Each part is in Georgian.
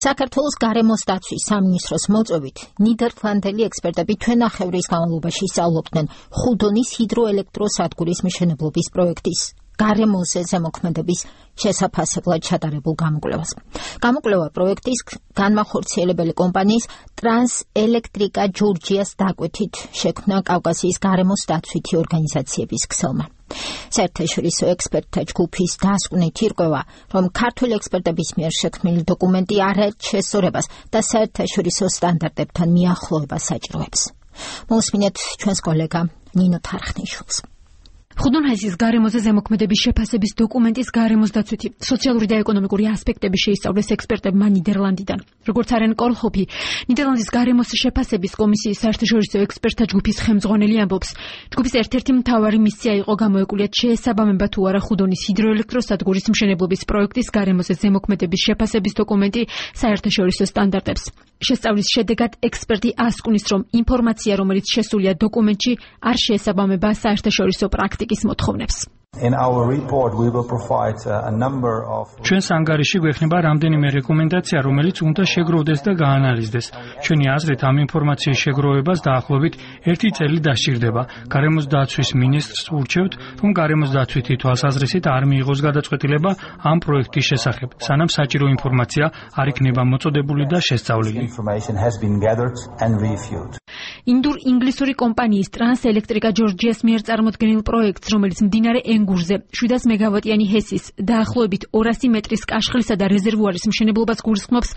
საქართველოს გარემოს დაცვის სამინისტროს მოწვევით ნიდერლანდელი ექსპერტები თვენახევრის განმავლობაში სწავლობდნენ ხუდონის ჰიდროელექტროსადგურის მშენებლობის პროექტის გარემოზე ზემოქმედების შესაფასებლად ჩატარებულ გამოკვლევას. გამოკვლევა პროექტის განმახორციელებელი კომპანიის ტრანსელექტრიკა ჯორჯიას დაკვეთით შექმნა კავკასიის გარემოს დაცვითი ორგანიზაციების ქსელმა. საერთაშორისო ექსპერტთა ჯგუფის დასკვნით ირკვევა, რომ ქართული ექსპერტების მიერ შექმნილი დოკუმენტი არაერთ შესწორებას და საერთაშორისო სტანდარტებთან მიახლოებას საჭიროებს. მოусმინეთ ჩვენს კოლეგა ნინო თარხნიშვილს. ხუდონჰესის გარემოზე ზემოქმედების შეფასების დოკუმენტის გარემოს დაცვითი სოციალური და ეკონომიკური ასპექტები შეისწავლეს ექსპერტებმა ნიდერლანდიდან. როგორც არენ კოლჰოფი, ნიდერლანდის გარემოს შეფასების კომისიის საერთაშორისო ექსპერტთა ჯგუფის ხელმძღვანელი ამბობს, ჯგუფის ერთ-ერთი მთავარი მისია იყო გამოეკულიათ შეესაბამება თუ არა ხუდონის ჰიდროელექტროსადგურის მშენებლობის პროექტის გარემოზე ზემოქმედების შეფასების დოკუმენტი საერთაშორისო სტანდარტებს. შესწავლის შედეგად ექსპერტი ასკუნის, რომ ინფორმაცია, რომელიც შესულია დოკუმენტში, არ შეესაბამება საერთაშორისო პრაქტიკის მოთხოვნებს. ჩვენს ანგარიში გვექნება რამდენიმე რეკომენდაცია, რომელიც უნდა შეგროვდეს და გაანალიზდეს. ჩვენი აზრით, ამ ინფორმაციის შეგროვებას დაახლოებით 1 წელი დასჭირდება. გარემოს დაცვის მინისტრს ურჩევთ, რომ გარემოს დაცვითი თვალსაზრისით არ მიიღოს გადაწყვეტილება ამ პროექტის შესახებ, სანამ საჭირო ინფორმაცია არ იქნება მოწოდებული და შესწავლილი. ინდურ-ინგლისური კომპანიის ტრანსელექტრიკა ჯორჯიას მიერ წარმოდგენილ პროექტს, რომელიც მდინარე ენგურზე 700 მეგავატიანი ჰესის დაახლოებით 200 მეტრის კაშხლისა და რეზერვუარის მშენებლობას გულისხმობს,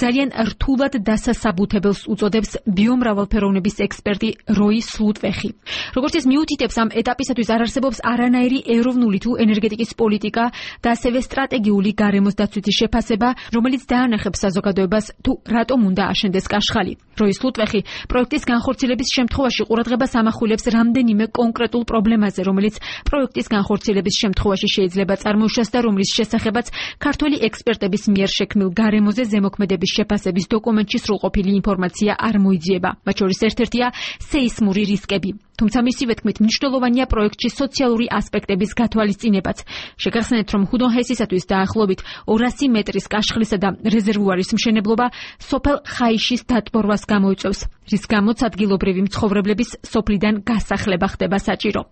ძალიან რთულად დასასაბუთებელს უწოდებს ბიომრავალფეროვნების ექსპერტი როი სლუტვეხი. როგორც ის მიუთითებს, ამ ეტაპისათვის არ არსებობს არანაირი ეროვნული თუ ენერგეტიკის პოლიტიკა და ასევე სტრატეგიული გარემოს დაცვითი შეფასება, რომელიც დაანახებს საზოგადოებას თუ რატომ უნდა აშენდეს კაშხალი. როი სლუტვეხი პროექტის განხორციელების შემთხვევაში ყურადღებას ამახვილებს რამდენიმე კონკრეტულ პრობლემაზე, რომელიც პროექტის განხორციელების შემთხვევაში შეიძლება წარმოუშვას და რომლის შესახებაც ქართველი ექსპერტების მიერ შექმნილ გარემოზე ზემოქმედების შეფასების დოკუმენტში სრულყოფილი ინფორმაცია არ მოიძიება. მათ შორის ერთ-ერთია სეისმური რისკები. თუმცა მისივე თქმით მნიშვნელოვანია პროექტში სოციალური ასპექტების გათვალისწინებაც. შეგახსენეთ, რომ ხუდონჰესისათვის დაახლოებით 200 მეტრის კაშხლისა და რეზერვუარის მშენებლობა სოფელ ხაიშის დატბორვას გამოიწვევს, რის გამოც ადგილობრივი მცხოვრებლების სოფლიდან გასახლება ხდება საჭირო.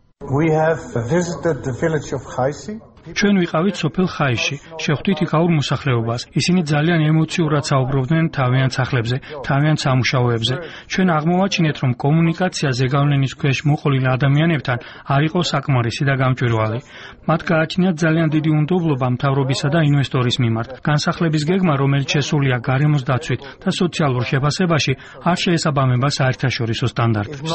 ჩვენ ვიყავით სოფელ ხაიში, შევხვდით იქაურ მოსახლეობას. ისინი ძალიან ემოციურად საუბრობდნენ თავიანთ სახლებზე, თავიანთ სამუშაოებზე. ჩვენ აღმოვაჩინეთ, რომ კომუნიკაცია ზეგავლენის ქვეშ მოყოლილ ადამიანებთან არ იყო საკმარისი და გამჭვირვალე. მათ გააჩნიათ ძალიან დიდი უნდობლობა მთავრობისა და ინვესტორის მიმართ. განსახლების გეგმა, რომელიც შესულია გარემოს დაცვით და სოციალურ შეფასებაში, არ შეესაბამება საერთაშორისო სტანდარტებს.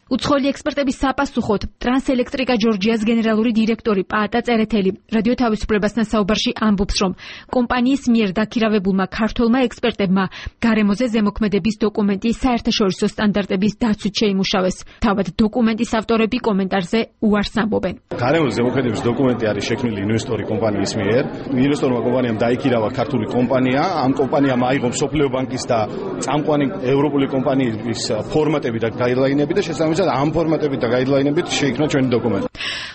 უცხოელი ექსპერტების საპასუხოდ ტრანსელექტრიკა ჯორჯიას გენერალური დირექტორი პაატა წერეთელი რადიო თავისუფლებასთან საუბარში ამბობს, რომ კომპანიის მიერ დაქირავებულმა ქართველმა ექსპერტებმა გარემოზე ზემოქმედების დოკუმენტი საერთაშორისო სტანდარტების დაცვით შეიმუშავეს. თავად დოკუმენტის ავტორები კომენტარზე უარს ამბობენ. გარემოზე ზემოქმედების დოკუმენტი არის შექმნილი ინვესტორი კომპანიის მიერ. ინვესტორმა კომპანიამ დაიქირავა ქართული კომპანია. ამ კომპანიამ აიღო მსოფლიო ბანკის და წამყვანი ევროპული კომპანიის ფორმატები და გაიდლაინები და შესაბამისად ამ ფორმატებით და გაიდლაინებით შეიქმნა ჩვენი დოკუმენტი.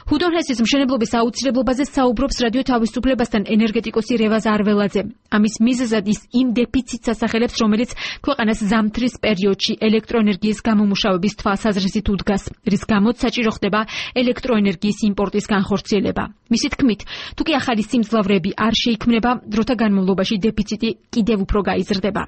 ხუდონჰესის მშენებლობის აუცილებლობაზე საუბრობს რადიო თავისუფლებასთან ენერგეტიკოსი რევაზ არველაძე. ამის მიზეზად ის იმ დეფიციტს ასახელებს, რომელიც ქვეყანას ზამთრის პერიოდში ელექტროენერგიის გამომუშავების თვალსაზრისით უდგას, რის გამოც საჭირო ხდება ელექტროენერგიის იმპორტის განხორციელება. მისი თქმით, თუ კი ახალი სიმძლავრეები არ შეიქმნება, დროთა განმავლობაში დეფიციტი კიდევ უფრო გაიზრდება.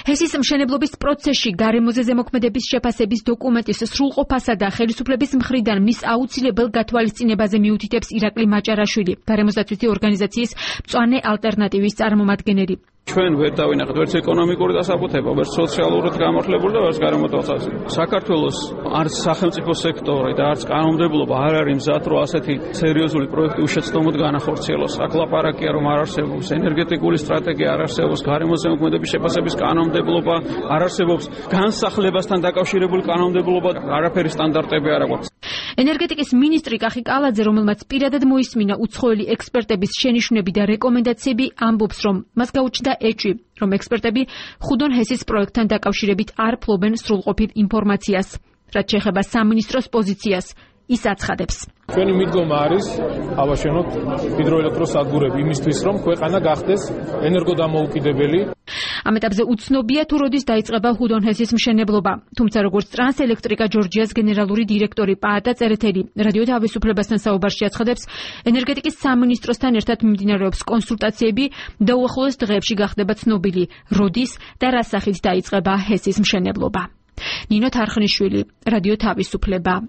ჰესის მშენებლობის პროცესში გარემოზე ზემოქმედების შეფასების დოკუმენტის სრულყოფასა და ხელისუფლების მხრიდან მის აუცილებელ გათვალისწინებაზე მიუთითებს ირაკლი მაჭარაშვილი, გარემოსდაცვითი ორგანიზაციის მწვანე ალტერნატივის წარმომადგენელი. ჩვენ ვერ დავინახეთ ვერც ეკონომიკური დასაბუთება, ვერც სოციალურად გამართლებული და ვერც გარემოდაცვით. საქართველოს არც სახელმწიფო სექტორი და არც კანონმდებლობა არ არის მზად, რომ ასეთი სერიოზული პროექტი უშეცდომოდ განახორციელოს. აქ ლაპარაკია, რომ არ არსებობს ენერგეტიკული სტრატეგია, არ არსებობს გარემოზე ზემოქმედების შეფასების კანონმდებლობა, არ არსებობს განსახლებასთან დაკავშირებული კანონმდებლობა, არაფერი სტანდარტები არ აქვს. ენერგეტიკის მინისტრი კახი კალაძე, რომელმაც პირადად მოისმინა უცხოელი ექსპერტების შენიშვნები და რეკომენდაციები, ამბობს, რომ მას გაუჩნდა ეჭვი, რომ ექსპერტები ხუდონჰესის პროექტთან დაკავშირებით არ ფლობენ სრულყოფილ ინფორმაციას. რაც შეეხება სამინისტროს პოზიციას, ის აცხადებს. ჩვენი მიდგომა არის ავაშენოთ ჰიდროელექტროსადგურები იმისთვის, რომ ქვეყანა გახდეს ენერგოდამოუკიდებელი. ამ ეტაპზე უცნობია თუ როდის დაიწყება ჰუდონ-ჰესის მშენებლობა. თუმცა როგორც ტრანსელექტრიკა ჯორჯიას გენერალური დირექტორი პაატა წერეთელი რადიო თავისუფლებასთან საუბარში აცხადებს, ენერგეტიკის სამინისტროსთან ერთად მიმდინარეობს კონსულტაციები და უახლოეს დღეებში გახდება ცნობილი, როდის და რა სახით დაიწყება ჰესის მშენებლობა. ნინო თარხნიშვილი, რადიო თავისუფლება.